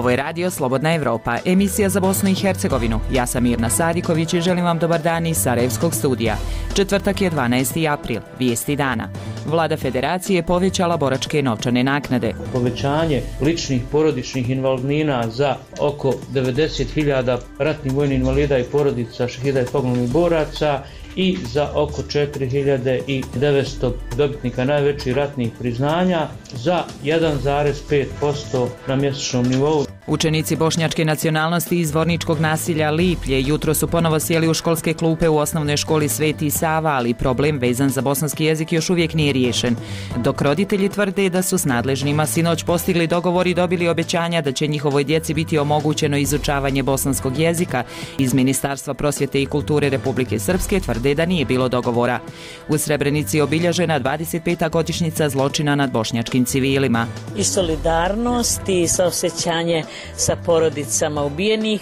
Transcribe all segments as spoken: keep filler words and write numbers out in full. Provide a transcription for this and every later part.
Ovo je radio Slobodna Evropa, emisija za Bosnu i Hercegovinu. Ja sam Mirna Sadiković i želim vam dobar dan iz Sarajevskog studija. Četvrtak je dvanaesti april, vijesti dana. Vlada Federacije je povećala boračke novčane naknade. Povećanje ličnih porodičnih invalidnina za oko devedeset hiljada ratnih vojnih invalida i porodica šehida i poginulih boraca i za oko četiri hiljade devetsto dobitnika najvećih ratnih priznanja za jedan zarez pet posto na mjesečnom nivou. Učenici bošnjačke nacionalnosti iz Zvorničkog nasilja Liplje jutro su ponovo sjeli u školske klupe u osnovnoj školi Sveti Sava, ali problem vezan za bosanski jezik još uvijek nije riješen. Dok roditelji tvrde da su s nadležnima sinoć postigli dogovor i dobili obećanja da će njihovoj djeci biti omogućeno izučavanje bosanskog jezika, iz Ministarstva prosvjete i kulture Republike Srpske tvrde da nije bilo dogovora. U Srebrenici je obilježena dvadeset peta godišnjica zločina nad bošnjačkim civilima. I solidarnost i saosjećanje sa porodicama ubijenih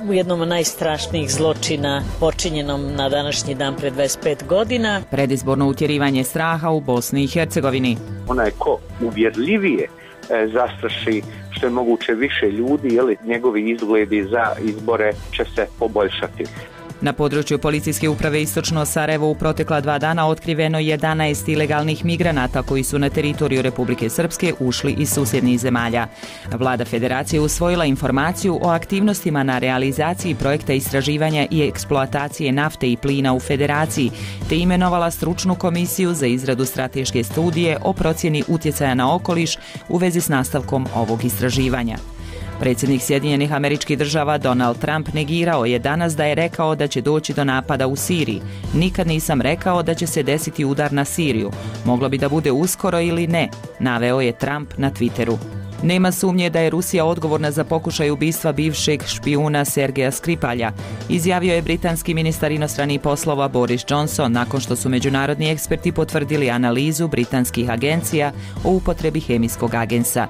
u jednom od najstrašnijih zločina počinjenom na današnji dan pred dvadeset pet godina. Predizborno utjerivanje straha u Bosni i Hercegovini. Onaj ko uvjerljivije e, zastraši što je moguće više ljudi, jeli, njegovi izgledi za izbore će se poboljšati. Na području policijske uprave Istočno Sarajevo u protekla dva dana otkriveno jedanaest ilegalnih migranata koji su na teritoriju Republike Srpske ušli iz susjednih zemalja. Vlada Federacije usvojila informaciju o aktivnostima na realizaciji projekta istraživanja i eksploatacije nafte i plina u Federaciji, te imenovala stručnu komisiju za izradu strateške studije o procjeni utjecaja na okoliš u vezi s nastavkom ovog istraživanja. Predsjednik Sjedinjenih Američkih Država Donald Trump negirao je danas da je rekao da će doći do napada u Siriji. Nikad nisam rekao da će se desiti udar na Siriju. Moglo bi da bude uskoro ili ne, naveo je Trump na Twitteru. Nema sumnje da je Rusija odgovorna za pokušaj ubistva bivšeg špijuna Sergeja Skripalja, izjavio je britanski ministar inostranih poslova Boris Johnson nakon što su međunarodni eksperti potvrdili analizu britanskih agencija o upotrebi hemijskog agensa.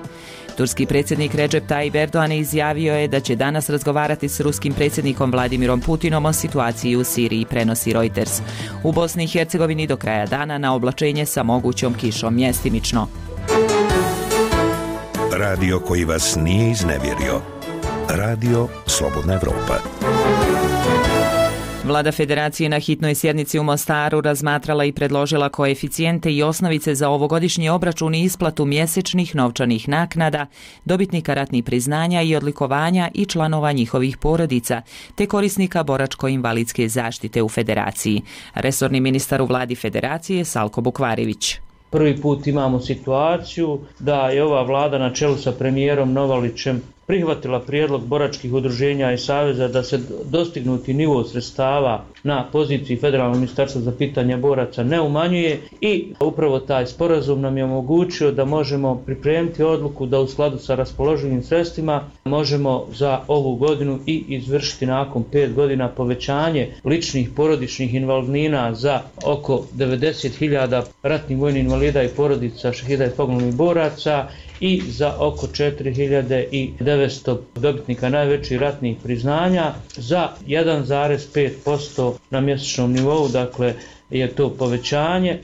Turski predsjednik Recep Tayyip Erdogan izjavio je da će danas razgovarati s ruskim predsjednikom Vladimirom Putinom o situaciji u Siriji, prenosi Reuters. U Bosni i Hercegovini do kraja dana na oblačenje sa mogućom kišom mjestimično. Radio koji vas nije iznevjerio. Radio Slobodna Evropa. Vlada Federacije na hitnoj sjednici u Mostaru razmatrala i predložila koeficijente i osnovice za ovogodišnji obračun i isplatu mjesečnih novčanih naknada, dobitnika ratnih priznanja i odlikovanja i članova njihovih porodica, te korisnika boračko-invalidske zaštite u Federaciji. Resorni ministar u vladi Federacije Salko Bukvarević. Prvi put imamo situaciju da je ova vlada na čelu sa premijerom Novalićem prihvatila prijedlog boračkih udruženja i saveza da se dostignuti nivo sredstava na poziciji Federalnog ministarstva za pitanja boraca ne umanjuje i upravo taj sporazum nam je omogućio da možemo pripremiti odluku da u skladu sa raspoloživim sredstvima možemo za ovu godinu i izvršiti nakon pet godina povećanje ličnih porodičnih invalidnina za oko devedeset hiljada ratnih vojnih invalida i porodica šehida i poginulih boraca i za oko četiri hiljade devetsto dobitnika najvećih ratnih priznanja za jedan zarez pet posto na mjesečnom nivou, dakle je to povećanje.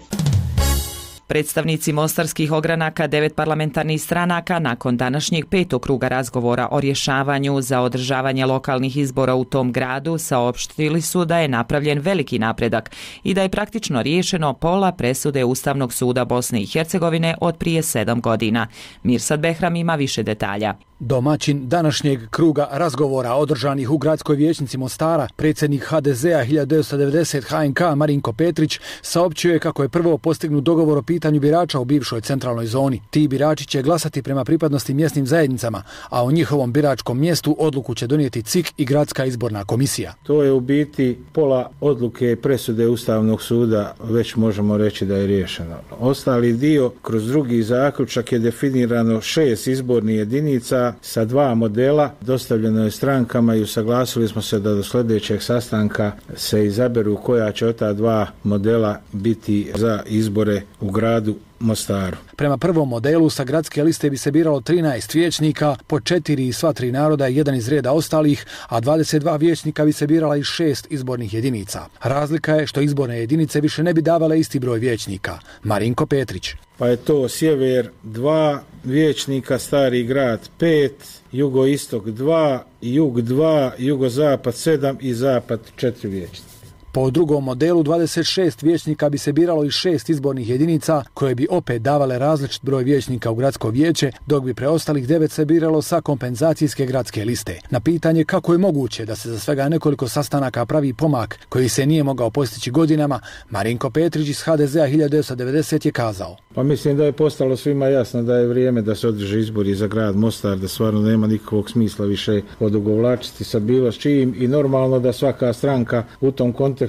Predstavnici mostarskih ogranaka devet parlamentarnih stranaka nakon današnjeg petog kruga razgovora o rješavanju za održavanje lokalnih izbora u tom gradu saopštili su da je napravljen veliki napredak i da je praktično riješeno pola presude Ustavnog suda Bosne i Hercegovine od prije sedam godina. Mirsad Behram ima više detalja. Domaćin današnjeg kruga razgovora održanih u gradskoj vijećnici Mostara, predsjednik ha de zea hiljadu devetsto devedeset ha en ka Marinko Petrić saopćio je kako je prvo postignut dogovor o pitanju birača u bivšoj centralnoj zoni. Ti birači će glasati prema pripadnosti mjesnim zajednicama, a o njihovom biračkom mjestu odluku će donijeti C I K i Gradska izborna komisija. To je u biti pola odluke presude Ustavnog suda, već možemo reći da je riješeno. Ostali dio kroz drugi zaključak je definirano šest izbornih jedinica sa dva modela, dostavljeno je strankama i usaglasili smo se da do sljedećeg sastanka se izaberu koja će od ta dva modela biti za izbore u gradu gradu Mostaru. Prema prvom modelu sa gradske liste bi se biralo trinaest vijećnika, po četiri iz sva tri naroda i jedan iz reda ostalih, a dvadeset dva vijećnika bi se birala iz šest izbornih jedinica. Razlika je što izborne jedinice više ne bi davale isti broj vijećnika. Marinko Petrić. Pa je to sjever dva vijećnika, Stari grad pet, jugoistok dva, jug dva, jugozapad sedam i zapad četiri vijećnika. Po drugom modelu dvadeset šest vijećnika bi se biralo iz šest izbornih jedinica koje bi opet davale različit broj vijećnika u gradsko vijeće, dok bi preostalih devet se biralo sa kompenzacijske gradske liste. Na pitanje kako je moguće da se za svega nekoliko sastanaka pravi pomak koji se nije mogao postići godinama, Marinko Petrić iz ha de zea hiljadu devetsto devedesete je kazao. Pa mislim da je postalo svima jasno da je vrijeme da se održe izbori za grad Mostar, da stvarno nema nikakvog smisla više odugovlačiti sa bilo s čim i normalno da svaka stranka u tom kontekstu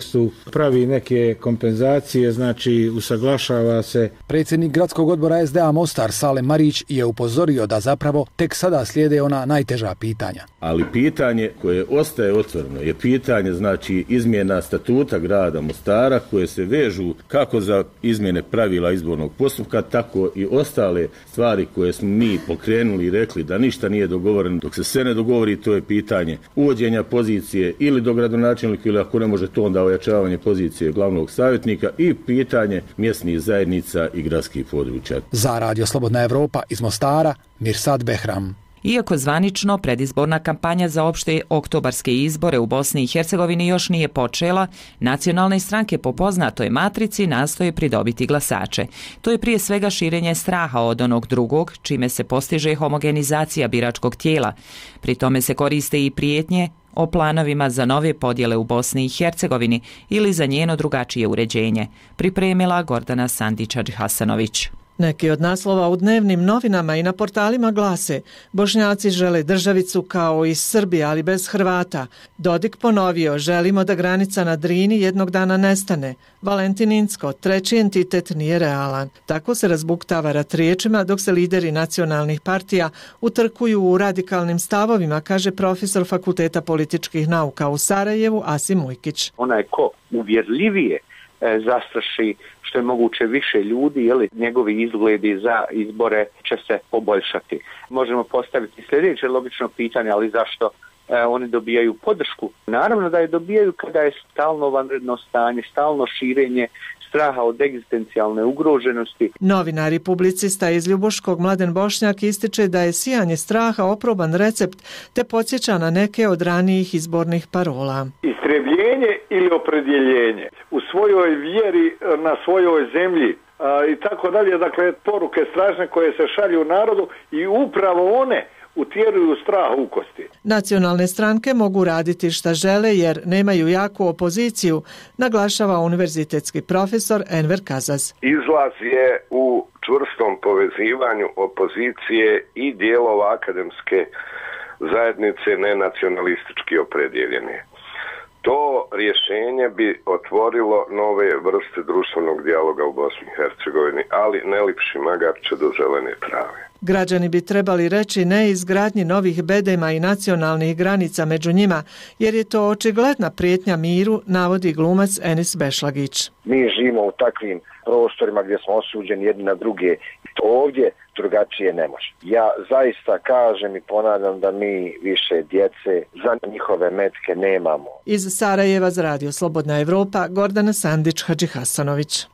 pravi neke kompenzacije, znači usaglašava se. Predsjednik gradskog odbora es de a Mostar Salem Marić je upozorio da zapravo tek sada slijede ona najteža pitanja. Ali pitanje koje ostaje otvoreno je pitanje znači izmjena statuta grada Mostara koje se vežu kako za izmjene pravila izbornog postupka, tako i ostale stvari koje smo mi pokrenuli i rekli da ništa nije dogovoreno. Dok se sve ne dogovori, to je pitanje uvođenja pozicije ili do gradonačelnika ili ako ne može to onda ojačavanje pozicije glavnog savjetnika i pitanje mjesnih zajednica i gradskih područja. Za Radio Slobodna Evropa iz Mostara, Mirsad Behram. Iako zvanično predizborna kampanja za opšte oktobarske izbore u Bosni i Hercegovini još nije počela, nacionalne stranke po poznatoj matrici nastoje pridobiti glasače. To je prije svega širenje straha od onog drugog, čime se postiže homogenizacija biračkog tijela. Pri tome se koriste i prijetnje o planovima za nove podjele u Bosni i Hercegovini ili za njeno drugačije uređenje, pripremila Gordana Sandić-Hadžihasanović. Neki od naslova u dnevnim novinama i na portalima glase: Bošnjaci žele državicu kao i Srbija, ali bez Hrvata. Dodik ponovio: želimo da granica na Drini jednog dana nestane. Valentin Incko: treći entitet nije realan. Tako se razbuktava rat riječima dok se lideri nacionalnih partija utrkuju u radikalnim stavovima, kaže profesor Fakulteta političkih nauka u Sarajevu Asim Ujkić. Onaj ko uvjerljivije zastraši što je moguće više ljudi, jeli, njegovi izgledi za izbore će se poboljšati. Možemo postaviti sljedeće logično pitanje, ali zašto e, oni dobijaju podršku? Naravno da je dobijaju kada je stalno vanredno stanje, stalno širenje straha od egzistencijalne ugroženosti. Novinar i publicista iz Ljubuškog Mladen Bošnjak ističe da je sijanje straha oproban recept te podsjeća na neke od ranijih izbornih parola. Istrebljenje ili opredjeljenje u svojoj vjeri na svojoj zemlji a, i tako dalje, dakle poruke strašne koje se šalju narodu i upravo one utjeruju strah u kosti. Nacionalne stranke mogu raditi šta žele jer nemaju jaku opoziciju, naglašava univerzitetski profesor Enver Kazaz. Izlaz je u čvrstom povezivanju opozicije i dijelova akademske zajednice nenacionalistički opredjeljene. To rješenje bi otvorilo nove vrste društvenog dijaloga u Bosni i Hercegovini, ali ne lipši magarče do zelene trave. Građani bi trebali reći ne izgradnji novih bedema i nacionalnih granica među njima, jer je to očigledna prijetnja miru, navodi glumac Enis Bešlagić. Mi živimo u takvim prostorima gdje smo osuđeni jedni na druge. Ovdje drugačije ne može. Ja zaista kažem i ponavljam da mi više djece za njihove metke nemamo. Iz Sarajeva za Radio Slobodna Evropa, Gordana Sandić-Hadžihasanović.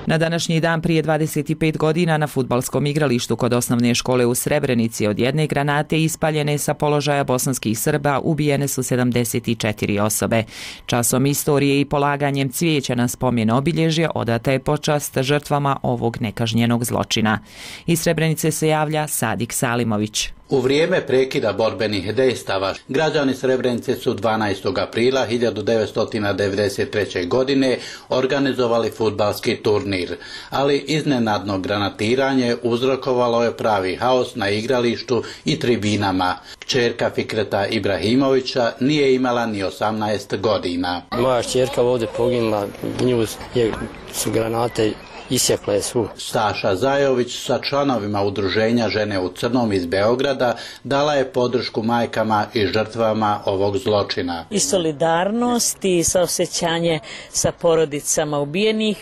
Na današnji dan prije dvadeset pet godina na fudbalskom igralištu kod osnovne škole u Srebrenici od jedne granate ispaljene sa položaja bosanskih Srba ubijene su sedamdeset četiri osobe. Časom istorije i polaganjem cvijeća na spomen obilježje odata je počast žrtvama ovog nekažnjenog zločina. Iz Srebrenice se javlja Sadik Salimović. U vrijeme prekida borbenih dejstava građani Srebrenice su dvanaestog aprila hiljadu devetsto devedeset treće. godine organizovali fudbalski turnir, ali iznenadno granatiranje uzrokovalo je pravi haos na igralištu i tribinama. Kćerka Fikreta Ibrahimovića nije imala ni osamnaest godina. Moja kćerka ovdje poginula, nju je, su granate isjekle su. Staša Zajović sa članovima udruženja Žene u crnom iz Beograda dala je podršku majkama i žrtvama ovog zločina. I solidarnost i saosećanje sa porodicama ubijenih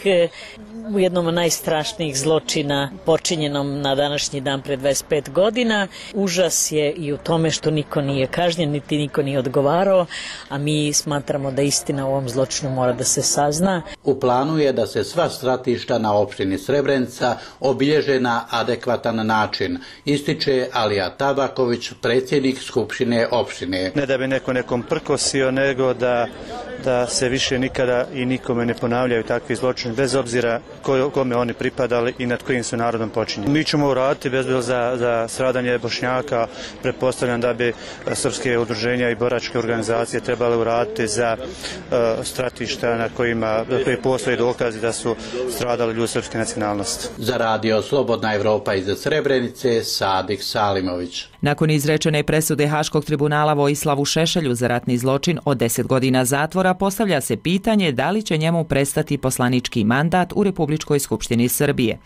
u jednom od najstrašnijih zločina počinjenom na današnji dan pre dvadeset pet godina. Užas je i u tome što niko nije kažnjen, niti niko nije odgovarao, a mi smatramo da istina u ovom zločinu mora da se sazna. U planu je da se sva stratišta na opštini Srebrenica obilježe na adekvatan način, ističe Alija Tabaković, predsjednik Skupštine opštine. Ne da bi neko nekom prkosio, nego da, da se više nikada i nikome ne ponavljaju takvi zločini, bez obzira kome oni pripadali i nad kojim su narodom počinjeni. Mi ćemo uraditi bezbilo za, za stradanje Bošnjaka. Pretpostavljam da bi srpske udruženja i boračke organizacije trebale uraditi za uh, stratišta na kojima na koji postoji dokazi da su stradali ljudi srpske nacionalnosti. Za radio Slobodna Evropa iz Srebrenice, Sadik Salimović. Nakon izrečene presude Haškog tribunala Vojislavu Šešelju za ratni zločin od deset godina zatvora, postavlja se pitanje da li će njemu prestati poslanički mandat u Republičkoj skupštini Srbije.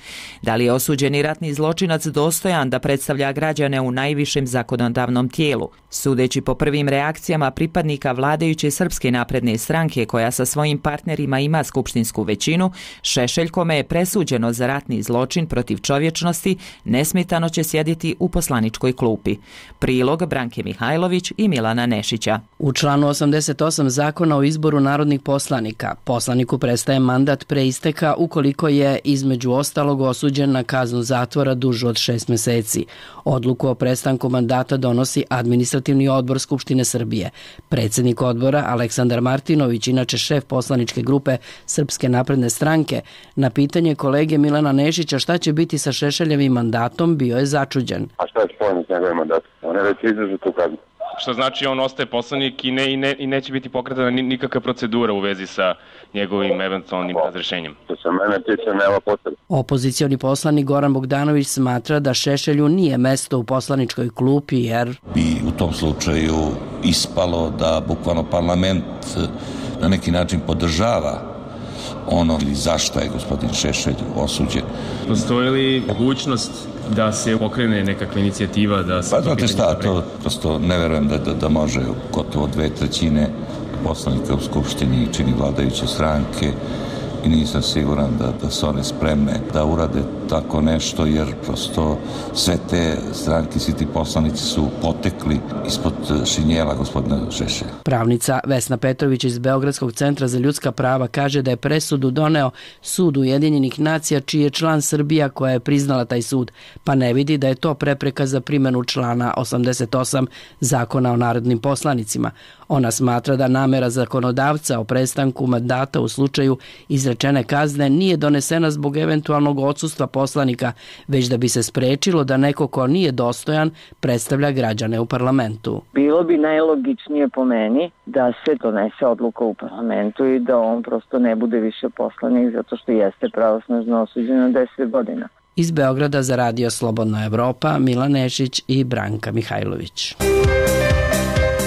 Da li je osuđeni ratni zločinac dostojan da predstavlja građane u najvišem zakonodavnom tijelu? Sudeći po prvim reakcijama pripadnika vladajuće Srpske napredne stranke, koja sa svojim partnerima ima skupštinsku većinu, Šešelj, kome je presuđeno za ratni zločin protiv čovječnosti, nesmetano će sjediti u poslaničkoj klupi. Prilog Branke Mihajlović i Milana Nešića. U članu osamdeset osam Zakona o izboru narodnih poslanika, poslaniku prestaje mandat pre isteka ukoliko je između ostalog osuđen na kaznu zatvora dužu od šest meseci. Odluku o prestanku mandata donosi Administrativni odbor Skupštine Srbije. Predsjednik odbora Aleksandar Martinović, inače šef poslaničke grupe Srpske napredne stranke, na pitanje kolege Milana Nešića šta će biti sa Šešeljevim mandatom, bio je začuđen. A šta je spojeno s njegovim mandatom? On je već izdržao tu kaznu. Što znači on ostaje poslanik i, ne, i, ne, i neće biti pokretana nikakva procedura u vezi sa njegovim eventualnim razrešenjem. Što se mene tiče, nema potrebe. Opozicioni poslanik Goran Bogdanović smatra da Šešelju nije mesto u poslaničkoj klupi jer bi u tom slučaju ispalo da bukvalno parlament na neki način podržava ono ili zašto je gospodin Šešelj osuđen. Postoji li mogućnost da se pokrene nekakva inicijativa da se... Pa znate šta, to prosto ne verujem da, da, da može gotovo dve trećine poslanika u Skupštini čini vladajuće stranke i nisam siguran da, da su one spremne da urade tako nešto, jer prosto sve te stranke, svi ti poslanici su potekli ispod šinjela gospodina Šešelja. Pravnica Vesna Petrović iz Beogradskog centra za ljudska prava kaže da je presudu doneo Sud Ujedinjenih nacija, čiji je član Srbija koja je priznala taj sud, pa ne vidi da je to prepreka za primjenu člana osamdeset osam Zakona o narodnim poslanicima. Ona smatra da namera zakonodavca o prestanku mandata u slučaju izrečene kazne nije donesena zbog eventualnog odsustva poslanika, već da bi se sprečilo da neko ko nije dostojan predstavlja građane u parlamentu. Bilo bi najlogičnije po meni da se donese odluka u parlamentu i da on prosto ne bude više poslanik zato što jeste pravosnažno osuđen na deset godina. Iz Beograda za radio Slobodna Evropa, Milan Nešić i Branka Mihajlović.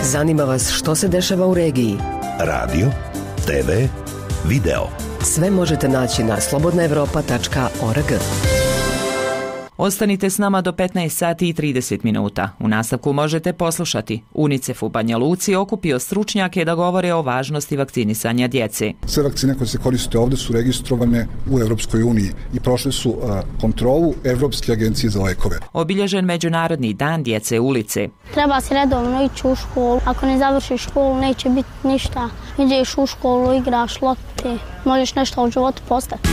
Zanima vas što se dešava u regiji? Radio, te ve, video. Sve možete naći na slobodna evropa tačka org. Ostanite s nama do petnaest sati i trideset minuta. U nastavku možete poslušati. UNICEF u Banja Luci okupio stručnjake da govore o važnosti vakcinisanja djece. Sve vakcine koje se koriste ovdje su registrovane u Evropskoj uniji i prošle su a, kontrolu Evropske agencije za lekove. Obilježen Međunarodni dan djece ulice. Treba se redovno ići u školu. Ako ne završiš školu, neće biti ništa. Ideš u školu, igraš lopte, možeš nešto u životu postati.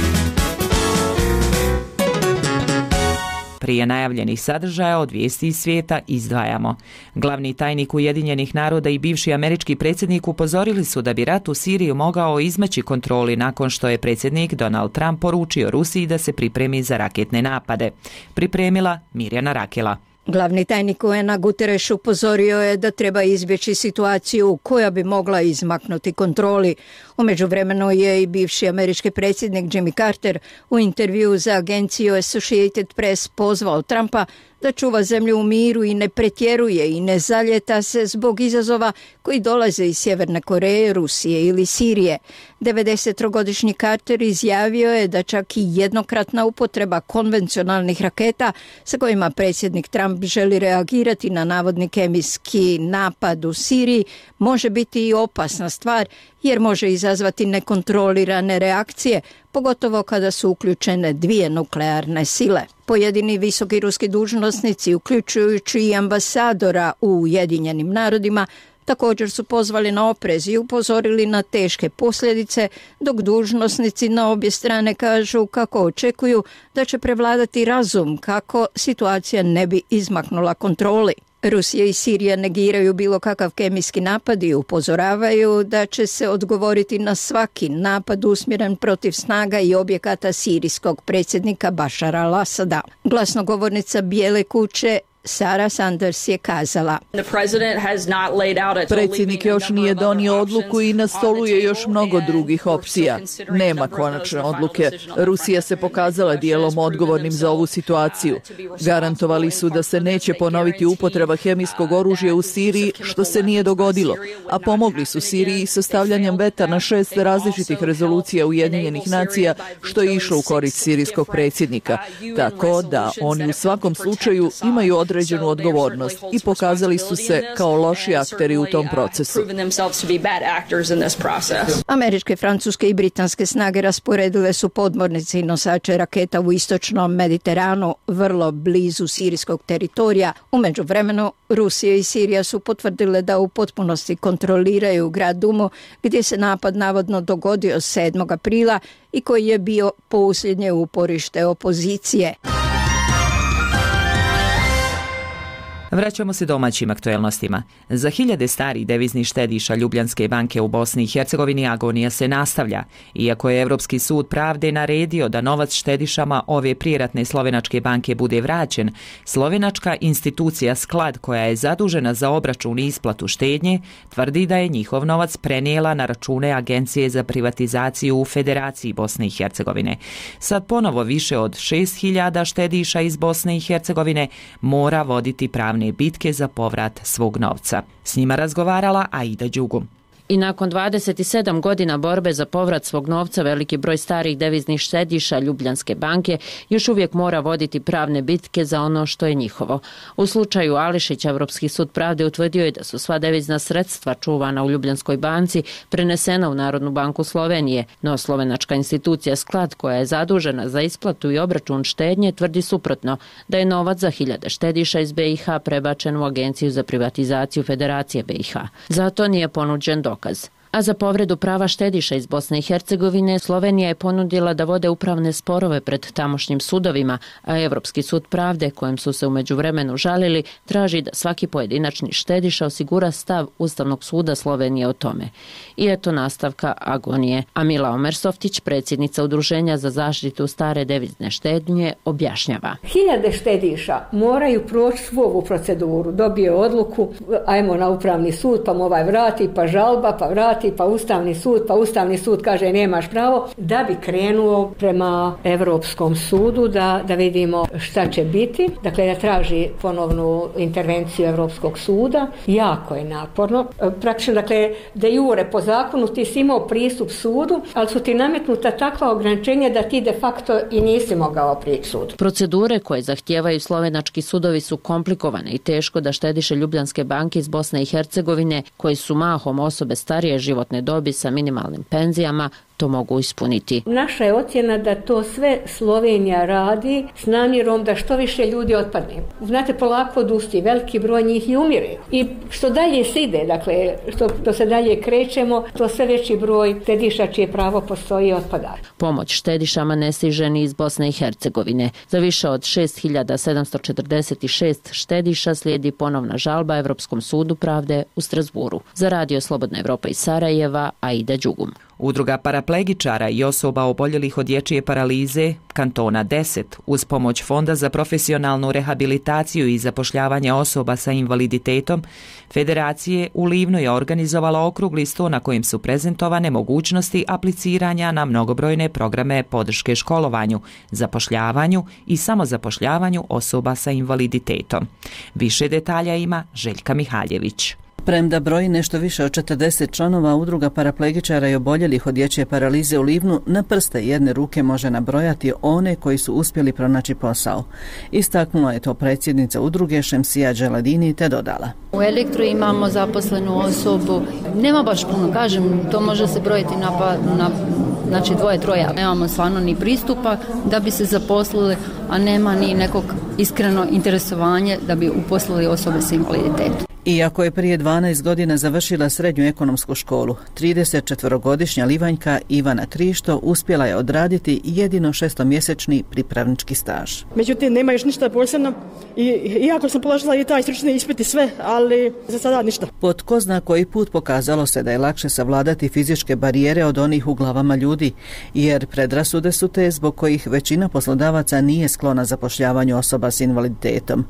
Prije najavljenih sadržaja od vijesti iz svijeta izdvajamo. Glavni tajnik Ujedinjenih naroda i bivši američki predsjednik upozorili su da bi rat u Siriji mogao izmeći kontroli nakon što je predsjednik Donald Trump poručio Rusiji da se pripremi za raketne napade. Pripremila Mirjana Rakela. Glavni tajnik U N-a Guterres upozorio je da treba izbjeći situaciju koja bi mogla izmaknuti kontroli. U međuvremenu je i bivši američki predsjednik Jimmy Carter u intervju za agenciju Associated Press pozvao Trumpa da čuva zemlju u miru i ne pretjeruje i ne zaljeta se zbog izazova koji dolaze iz Sjeverne Koreje, Rusije ili Sirije. devedesettrogodišnji Carter izjavio je da čak i jednokratna upotreba konvencionalnih raketa sa kojima predsjednik Trump želi reagirati na navodni kemijski napad u Siriji može biti i opasna stvar jer može izazvati nekontrolirane reakcije, pogotovo kada su uključene dvije nuklearne sile. Pojedini visoki ruski dužnosnici, uključujući i ambasadora u Ujedinjenim narodima, također su pozvali na oprez i upozorili na teške posljedice, dok dužnosnici na obje strane kažu kako očekuju da će prevladati razum kako situacija ne bi izmaknula kontroli. Rusija i Sirija negiraju bilo kakav kemijski napad i upozoravaju da će se odgovoriti na svaki napad usmjeren protiv snaga i objekata sirijskog predsjednika Bašara al-Asada. Glasnogovornica Bijele kuće Sarah Sanders je kazala: Predsjednik još nije donio odluku i na stolu je još mnogo drugih opcija. Nema konačne odluke. Rusija se pokazala dijelom odgovornim za ovu situaciju. Garantovali su da se neće ponoviti upotreba hemijskog oružja u Siriji, što se nije dogodilo, a pomogli su Siriji sa stavljanjem veta na šest različitih rezolucija Ujedinjenih nacija, što je išlo u korist sirijskog predsjednika. Tako da oni u svakom slučaju imaju određenu određenu odgovornost i pokazali su se kao loši akteri u tom procesu. Američke, francuske i britanske snage rasporedile su podmornice i nosače raketa u istočnom Mediteranu, vrlo blizu sirijskog teritorija. U međuvremenu Rusija i Sirija su potvrdile da u potpunosti kontroliraju grad Dumu, gdje se napad navodno dogodio sedmog aprila i koji je bio posljednje uporište opozicije. Vraćamo se domaćim aktuelnostima. Za hiljade starih deviznih štediša Ljubljanske banke u Bosni i Hercegovini agonija se nastavlja. Iako je Evropski sud pravde naredio da novac štedišama ove prijeratne slovenačke banke bude vraćen, slovenačka institucija Sklad, koja je zadužena za obračun i isplatu štednje, tvrdi da je njihov novac prenijela na račune Agencije za privatizaciju u Federaciji Bosne i Hercegovine. Sad ponovo više od šest hiljada štediša iz Bosne i Hercegovine mora voditi pravne bitke za povrat svog novca. S njima razgovarala Aida Đugum. I nakon dvadeset sedam godina borbe za povrat svog novca, veliki broj starih deviznih štediša Ljubljanske banke još uvijek mora voditi pravne bitke za ono što je njihovo. U slučaju Ališića, Evropski sud pravde utvrdio je da su sva devizna sredstva čuvana u Ljubljanskoj banci prenesena u Narodnu banku Slovenije, no slovenačka institucija Sklad, koja je zadužena za isplatu i obračun štednje, tvrdi suprotno, da je novac za hiljade štediša iz B i H prebačen u Agenciju za privatizaciju Federacije B i H. Zato nije ponuđen dokaz. A za povredu prava štediša iz Bosne i Hercegovine Slovenija je ponudila da vode upravne sporove pred tamošnjim sudovima, a Evropski sud pravde, kojem su se u međuvremenu žalili, traži da svaki pojedinačni štediša osigura stav Ustavnog suda Slovenije o tome. I eto nastavka agonije. A Mila Omersoftić, predsjednica Udruženja za zaštitu stare devizne štednje, objašnjava. Hiljade štediša moraju proći svu ovu proceduru. Dobije odluku, ajmo na upravni sud, pa mu ovaj vrati, pa žalba, pa vrati, pa Ustavni sud, pa Ustavni sud kaže nemaš pravo, da bi krenuo prema Europskom sudu da, da vidimo šta će biti. Dakle, da traži ponovnu intervenciju Europskog suda. Jako je naporno. Praktično, dakle, de jure po zakonu ti si imao pristup sudu, ali su ti nametnuta takva ograničenja da ti de facto i nisi mogao prići sudu. Procedure koje zahtijevaju slovenački sudovi su komplikovane i teško da štediše Ljubljanske banke iz Bosne i Hercegovine, koji su mahom osobe starije životne dobi sa minimalnim penzijama, to mogu ispuniti. Naša je ocjena da to sve Slovenija radi s namjerom da što više ljudi otpadne. Znate, polako odusti, veliki broj njih i umire. I što dalje se ide, dakle, što, što se dalje krećemo, to sve veći broj štediša čije pravo postoji otpada. Pomoć štedišama ne stiže ni iz Bosne i Hercegovine. Za više od šest hiljada sedamsto četrdeset šest štediša slijedi ponovna žalba Evropskom sudu pravde u Strasburu. Za Radio Slobodna Evropa iz Sarajeva, Aida Đugum. Udruga paraplegičara i osoba oboljelih od dječje paralize kantona deset uz pomoć Fonda za profesionalnu rehabilitaciju i zapošljavanje osoba sa invaliditetom Federacije u Livnu je organizovala okrugli sto na kojem su prezentovane mogućnosti apliciranja na mnogobrojne programe podrške školovanju, zapošljavanju i samozapošljavanju osoba sa invaliditetom. Više detalja ima Željka Mihaljević. Premda broji nešto više od četrdeset članova udruga paraplegičara i oboljelih od dječje paralize u Livnu, na prste jedne ruke može nabrojati one koji su uspjeli pronaći posao. Istaknula je to predsjednica udruge Šemsija Đeladini te dodala. U Elektru imamo zaposlenu osobu, nema baš puno, kažem, to može se brojiti na, pa, na znači dvoje, troje. Nemamo stvarno ni pristupa da bi se zaposlili, a nema ni nekog iskreno interesovanje da bi uposlili osobe s invaliditetom. Iako je prije dvanaest godina završila srednju ekonomsku školu, tridesetčetvorogodišnja Livanjka Ivana Krišto uspjela je odraditi jedino šestomjesečni pripravnički staž. Međutim, nema još ništa posebno, I, iako sam položila i taj stručni ispit i sve, ali za sada ništa. Po tko zna koji put pokazalo se da je lakše savladati fizičke barijere od onih u glavama ljudi, jer predrasude su te zbog kojih većina poslodavaca nije sklona zapošljavanju osoba s invaliditetom.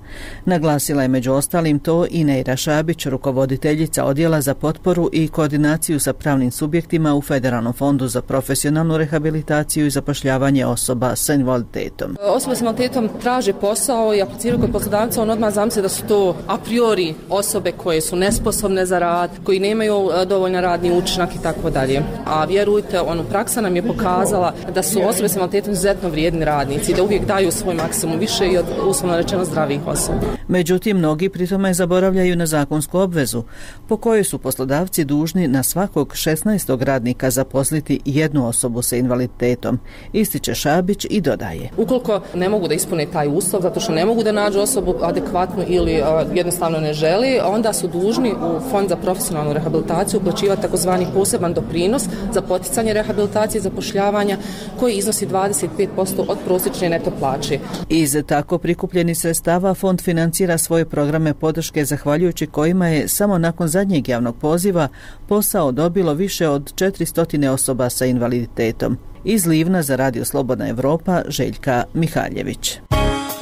Naglasila je među ostalim to i Neira Šabić, rukovoditeljica odjela za potporu i koordinaciju sa pravnim subjektima u Federalnom fondu za profesionalnu rehabilitaciju i zapošljavanje osoba sa invaliditetom. Osobe s invaliditetom traže posao i apliciraju kod poslodavca, on odmah zamisli da su to a priori osobe koje su nesposobne za rad, koji nemaju dovoljno radni učinak i tako dalje. A vjerujte, ono, praksa nam je pokazala da su osobe s invaliditetom izuzetno vrijedni radnici, da uvijek daju svoj maksimum više i od uslovno rečeno zdravih osoba. Međutim, mnogi pri tome zaboravljaju na zakonsku obvezu, po kojoj su poslodavci dužni na svakog šesnaestog radnika zaposliti jednu osobu sa invaliditetom, ističe Šabić i dodaje. Ukoliko ne mogu da ispune taj uslov, zato što ne mogu da nađu osobu adekvatnu ili uh, jednostavno ne želi, onda su dužni u Fond za profesionalnu rehabilitaciju uplaćivati takozvani poseban doprinos za poticanje rehabilitacije i zapošljavanja koji iznosi dvadeset pet posto od prosječne neto plaće. Iz tako prikupljenih sredstava Fond financira svoje programe podrške zahvaljujući kojima je samo nakon zadnjeg javnog poziva posao dobilo više od četiristo osoba sa invaliditetom. Iz Livna za Radio Slobodna Evropa, Željka Mihaljević.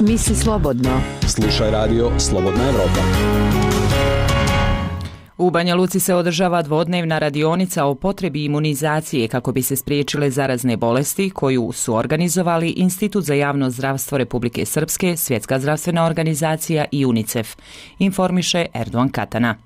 Misli slobodno. Slušaj Radio Slobodna Evropa. U Banja Luci se održava dvodnevna radionica o potrebi imunizacije kako bi se spriječile zarazne bolesti koju su organizovali Institut za javno zdravstvo Republike Srpske, Svjetska zdravstvena organizacija i UNICEF, informiše Erdogan Katana.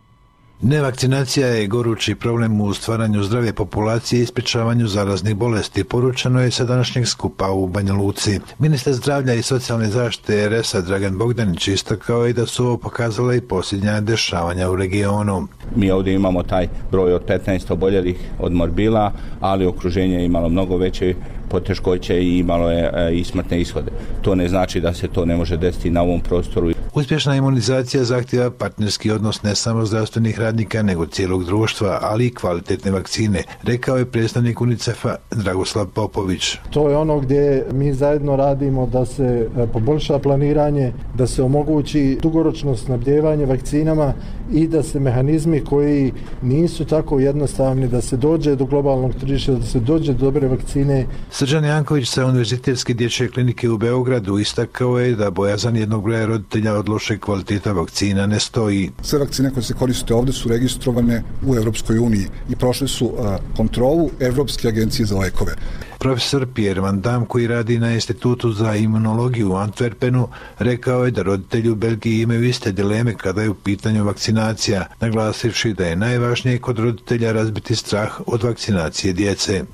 Nevakcinacija je gorući problem u stvaranju zdrave populacije i sprječavanju zaraznih bolesti, poručeno je sa današnjeg skupa u Banja Luci. Ministar zdravlja i socijalne zaštite er es a Dragan Bogdanić istakao je da su ovo pokazala i posljednja dešavanja u regionu. Mi ovdje imamo taj broj od petnaest oboljelih od morbila, ali okruženje je imalo mnogo veće poteškoće i imalo je i smrtne ishode. To ne znači da se to ne može desiti na ovom prostoru. Uspješna imunizacija zahtjeva partnerski odnos ne samo zdravstvenih radnika, nego cijelog društva, ali i kvalitetne vakcine, rekao je predstavnik UNICEF-a Dragoslav Popović. To je ono gdje mi zajedno radimo da se poboljša planiranje, da se omogući dugoročno snabdijevanje vakcinama i da se mehanizmi koji nisu tako jednostavni, da se dođe do globalnog tržišta, da se dođe do dobre vakcine. Srđan Janković sa Univerzitetske dječje klinike u Beogradu istakao je da bojazan jednog broja roditelja od loše kvaliteta vakcina ne stoji. Sve vakcine koje se koriste ovdje su registrovane u Europskoj uniji i prošle su a, kontrolu Evropske agencije za lekove. Profesor Pierre Van Dam, koji radi na Institutu za imunologiju u Antwerpenu, rekao je da roditelji u Belgiji imaju iste dileme kada je u pitanju vakcinacija, naglasivši da je najvažnije kod roditelja razbiti strah od vakcinacije djece.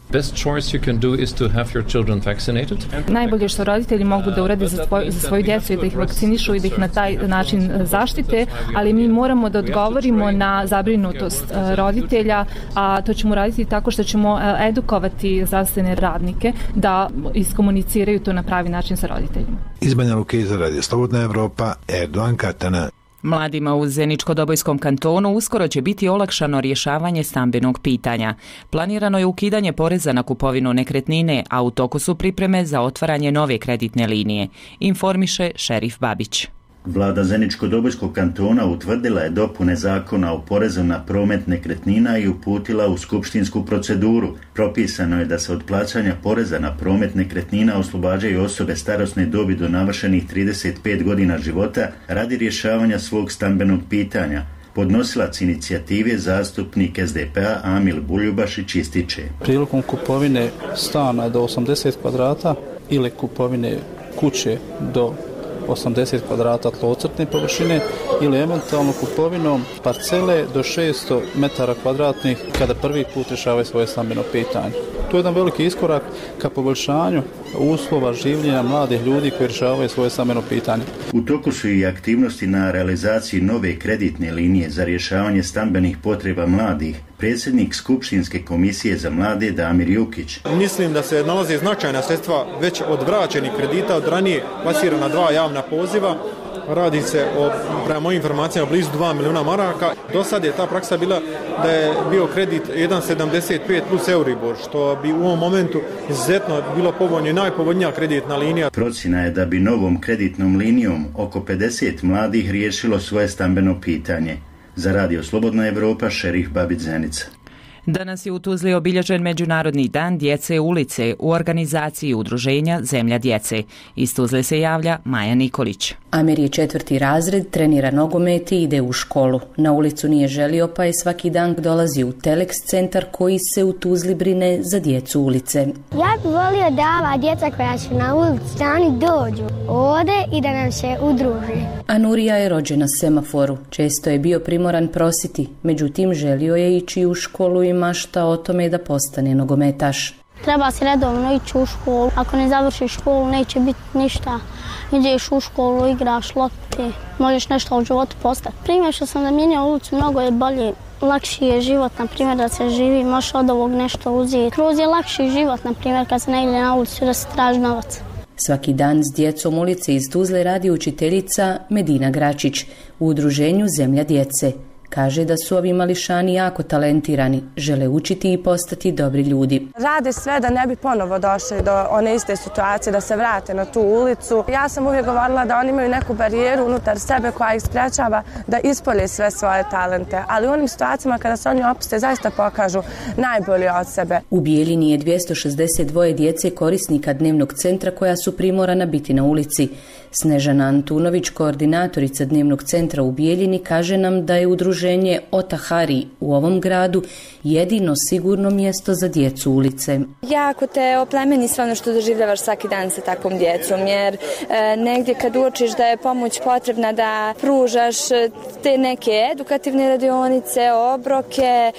Najbolje što roditelji mogu da urade za, tvoj, za svoju djecu i da ih vakcinišu i da ih na taj način zaštite, ali mi moramo da odgovorimo na zabrinutost roditelja, a to ćemo raditi tako što ćemo edukovati zdravstvene radnike da iskomuniciraju to na pravi način sa roditeljima. Iz Banja Luke za Radio Slobodna Evropa, Erdogan Katana. Mladima u Zeničko-Dobojskom kantonu uskoro će biti olakšano rješavanje stambenog pitanja. Planirano je ukidanje poreza na kupovinu nekretnine, a u toku su pripreme za otvaranje nove kreditne linije, informiše šerif Babić. Vlada Zeničko-Dobojskog kantona utvrdila je dopune zakona o porezu na promet nekretnina i uputila u skupštinsku proceduru. Propisano je da se od plaćanja poreza na promet nekretnina oslobađaju osobe starosne dobi do navršenih trideset pet godina života radi rješavanja svog stambenog pitanja. Podnosilac inicijative, zastupnik S D P-a Amil Buljubašić ističe. Prilikom kupovine stana do osamdeset kvadrata ili kupovine kuće do osamdeset kvadrata tlocrtne površine ili eventualno kupovinom parcele do šesto metara kvadratnih kada prvi put rješavaju svoje stambeno pitanje. To je jedan veliki iskorak ka poboljšanju uslova življenja mladih ljudi koji rješavaju svoje stambeno pitanje. U toku su i aktivnosti na realizaciji nove kreditne linije za rješavanje stambenih potreba mladih. Predsjednik Skupštinske komisije za mlade Damir Jukić. Mislim da se nalaze značajna sredstva već od vraćenih kredita od ranije plasirana dva javna poziva. Radi se o, prema mojim informacijama, blizu dva milijuna maraka. Do sad je ta praksa bila da je bio kredit jedan zarez sedamdeset pet plus Euribor, što bi u ovom momentu izuzetno bilo povoljno i najpovoljnija kreditna linija. Procjena je da bi novom kreditnom linijom oko pedeset mladih riješilo svoje stambeno pitanje. Za Radio Slobodna Evropa, Šerif Babić Zenica. Danas je u Tuzli obilježen Međunarodni dan djece ulice u organizaciji udruženja Zemlja djece. Iz Tuzle se javlja Maja Nikolić. Amir je četvrti razred, trenira nogomet i ide u školu. Na ulicu nije želio pa je svaki dan dolazi u Telex centar koji se u Tuzli brine za djecu ulice. Ja bih volio da ova djeca koja su na ulici da oni dođu ovdje i da nam se udruže. Anurija je rođena semaforu. Često je bio primoran prositi, međutim želio je ići u školu i mašta o tome da postane nogometaš. Treba se redovno ići u školu. Ako ne završiš školu neće biti ništa. Ideš u školu, igraš lopte, možeš nešto u životu postati. Primjer što sam zamijenio ulicu, mnogo je bolje, lakši je život, na primjer da se živi, možeš od ovog nešto uzeti. Kroz je lakši život, na primjer kad se ne ide na ulicu da se traži novac. Svaki dan s djecom ulice iz Tuzle radi učiteljica Medina Gračić u udruženju Zemlja djece. Kaže da su ovi mališani jako talentirani, žele učiti i postati dobri ljudi. Rade sve da ne bi ponovo došli do one iste situacije, da se vrate na tu ulicu. Ja sam uvijek govorila da oni imaju neku barijeru unutar sebe koja ih sprečava da ispolje sve svoje talente, ali u onim situacijama kada se oni opuste zaista pokažu najbolje od sebe. U Bijeljini je dvjesto šezdeset dva djece korisnika dnevnog centra koja su primorana biti na ulici. Snežana Antunović, koordinatorica dnevnog centra u Bijeljini, kaže nam da je udruženje Otahari u ovom gradu jedino sigurno mjesto za djecu ulice. Jako te oplemeni sve ono što doživljavaš svaki dan sa takvom djecom, jer e, negdje kad uočiš da je pomoć potrebna da pružaš te neke edukativne radionice, obroke, e,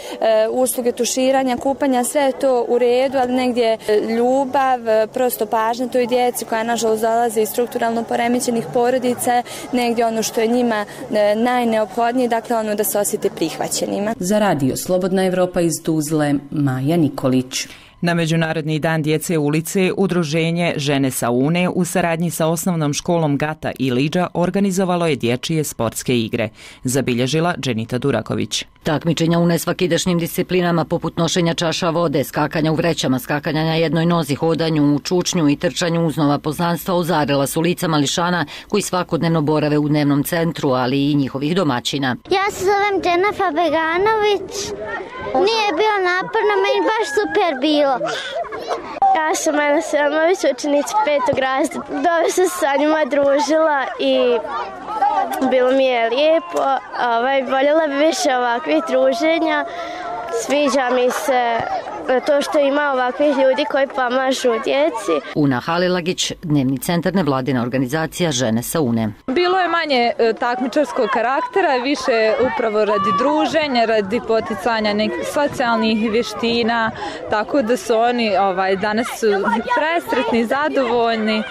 usluge tuširanja, kupanja, sve je to u redu, ali negdje ljubav, prosto pažnja toj djeci koja nažalost dolazi iz strukturalno poremećenih porodica, negdje ono što je njima e, najneophodnije, dakle ono da se osjete prihvaćenima. Za Radio Slobodna Evropa iz Tuzle, Maja Nikolić. Na Međunarodni dan djece ulice udruženje Žene sa Une u saradnji sa osnovnom školom Gata i Liđa organizovalo je dječje sportske igre. Zabilježila Dženita Duraković. Takmičenja u nesvakidašnjim disciplinama poput nošenja čaša vode, skakanja u vrećama, skakanja na jednoj nozi, hodanju u čučnju i trčanju uz nova poznanstva ozarila su lica mališana koji svakodnevno borave u dnevnom centru, ali i njihovih domaćina. Ja se zovem Dženafa Beganović. Nije bilo naporno, meni baš super bilo. Ja sam Ana Selmović, učenica petog razreda. Dobro sam se sa njima družila i bilo mi je lijepo. Ovaj, voljela bi više ovakvih druženja. Sviđa mi se to što ima ovakvih ljudi koji pomažu djeci. Una Halilagić, dnevni centar nevladina organizacija Žene sa Une. Bilo je manje takmičarskog karaktera, više upravo radi druženja, radi poticanja nekih socijalnih vještina, tako da su oni ovaj, danas su presretni, zadovoljni,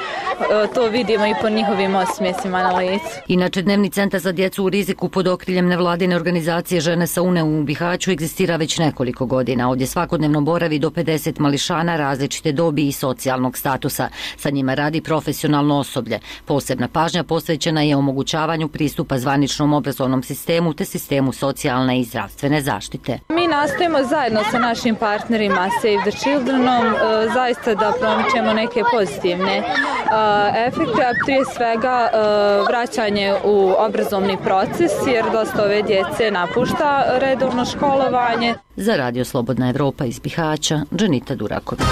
to vidimo i po njihovim osmjesima na licu. Inače, dnevni centar za djecu u riziku pod okriljem nevladine organizacije Žene sa Une u Bihaću egzistira već nekoliko godina. Ovdje svakodnevno boravi do pedeset mališana različite dobi i socijalnog statusa. Sa njima radi profesionalno osoblje. Posebna pažnja posvećena je omogućavanju pristupa zvaničnom obrazovnom sistemu te sistemu socijalne i zdravstvene zaštite. Mi nastojimo zajedno sa našim partnerima Save the Childrenom zaista da promičemo neke pozitivne Efekt je prije svega vraćanje u obrazovni proces jer dosta ove djece napušta redovno školovanje. Za Radio Slobodna Evropa iz Bihaća, Dženita Duraković.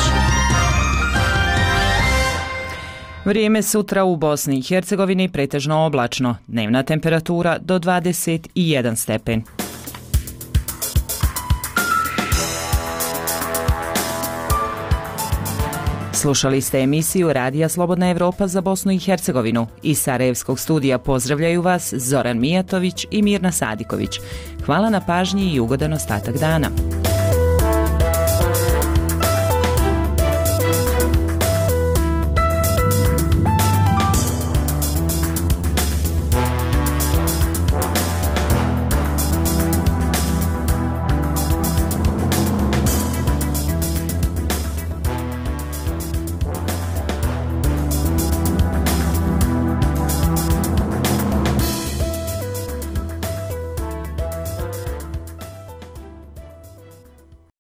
Vrijeme sutra u Bosni i Hercegovini pretežno oblačno, dnevna temperatura do dvadeset jedan stepen. Slušali ste emisiju Radija Slobodna Evropa za Bosnu i Hercegovinu. Iz Sarajevskog studija pozdravljaju vas Zoran Mijatović i Mirna Sadiković. Hvala na pažnji i ugodan ostatak dana.